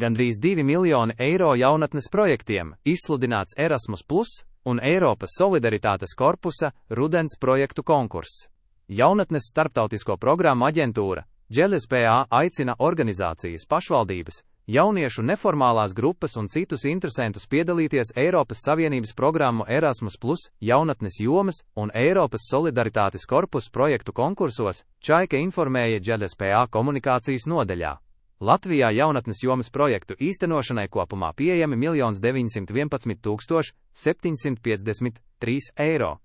Gandrīz 2 miljoni eiro jaunatnes projektiem, izsludināts Erasmus Plus un Eiropas Solidaritātes korpusa rudens projektu konkurss. Jaunatnes starptautisko programmu aģentūra GLSPA aicina organizācijas, pašvaldības, jauniešu neformālās grupas un citus interesantus piedalīties Eiropas Savienības programmu Erasmus Plus, jaunatnes jomas un Eiropas Solidaritātes korpusa projektu konkursos, Čaika informēja GLSPA komunikācijas nodaļā. Latvijā jaunatnes jomas projektu īstenošanai kopumā pieejami 1 911 753 eiro.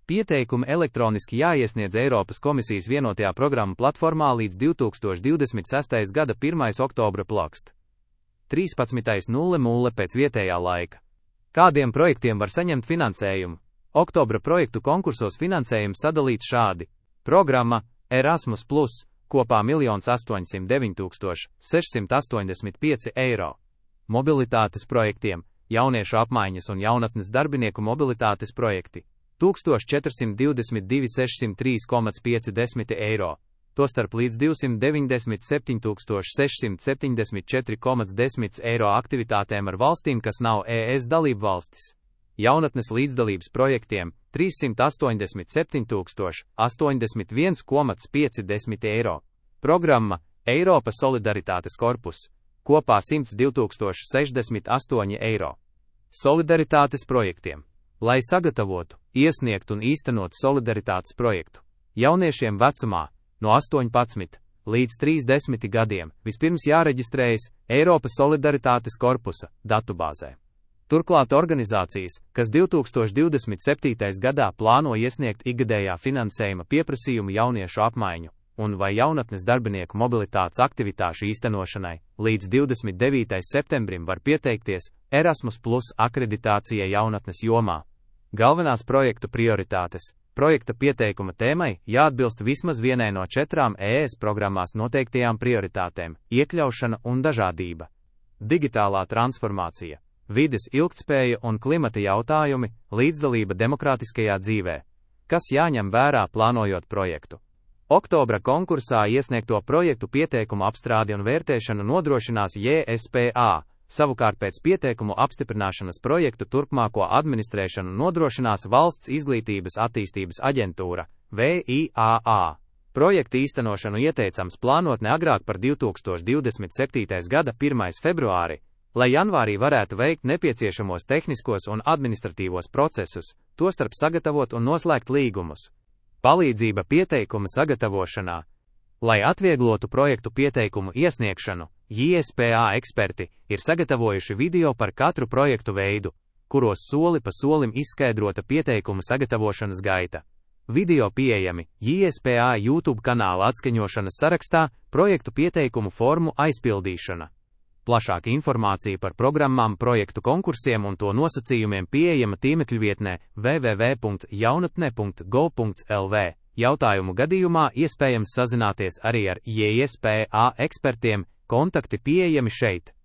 Pieteikumi elektroniski jāiesniedz Eiropas komisijas vienotajā programmu platformā līdz 2026. gada 1. oktobra plakst. 13.00 pēc vietējā laika. Kādiem projektiem var saņemt finansējumu? Oktobra projektu konkursos finansējums sadalīts šādi. Programma Erasmus Plus kopā 1 809 685 eiro. Mobilitātes projektiem, jauniešu apmaiņas un jaunatnes darbinieku mobilitātes projekti. 1422 603,50 eiro, tostarp līdz 297 674,10 eiro aktivitātēm ar valstīm, kas nav ES dalību valstis. Jaunatnes līdzdalības projektiem 387 081,50 eiro. Programma Eiropas Solidaritātes korpus kopā 102 068 eiro. Solidaritātes projektiem. Lai sagatavotu, iesniegtu un īstenotu solidaritātes projektu, jauniešiem vecumā no 18 līdz 30 gadiem vispirms jāreģistrējas Eiropas Solidaritātes korpusa datubāzē. Turklāt organizācijas, kas 2027. gadā plāno iesniegt ikgadējā finansējuma pieprasījumu jauniešu apmaiņu un vai jaunatnes darbinieku mobilitātes aktivitāšu īstenošanai, līdz 29. septembrim var pieteikties Erasmus Plus akreditācijai jaunatnes jomā. Galvenās projektu prioritātes. Projekta pieteikuma tēmai jāatbilst vismaz vienai no 4 ES programmās noteiktajām prioritātēm - iekļaušana un dažādība, digitālā transformācija, vides ilgtspēja un klimata jautājumi, līdzdalība demokrātiskajā dzīvē. Kas jāņem vērā plānojot projektu? Oktobra konkursā iesniegto projektu pieteikumu apstrādi un vērtēšanu nodrošinās JSPA, savukārt pēc pieteikumu apstiprināšanas projektu turpmāko administrēšanu nodrošinās Valsts izglītības attīstības aģentūra, VIAA. Projekta īstenošanu ieteicams plānot ne agrāk par 2027. gada 1. februāri, lai janvārī varētu veikt nepieciešamos tehniskos un administratīvos procesus, tostarp sagatavot un noslēgt līgumus. Palīdzība pieteikuma sagatavošanā. Lai atvieglotu projektu pieteikumu iesniegšanu, JSPA eksperti ir sagatavojuši video par katru projektu veidu, kuros soli pa solim izskaidrota pieteikuma sagatavošanas gaita. Video pieejami JSPA YouTube kanāla atskaņošanas sarakstā projektu pieteikumu formu aizpildīšana. Plašāka informācija par programmām, projektu konkursiem un to nosacījumiem pieejama tīmekļvietnē www.jaunatne.gov.lv. Jautājumu gadījumā iespējams sazināties arī ar JSPA ekspertiem, kontakti pieejami šeit.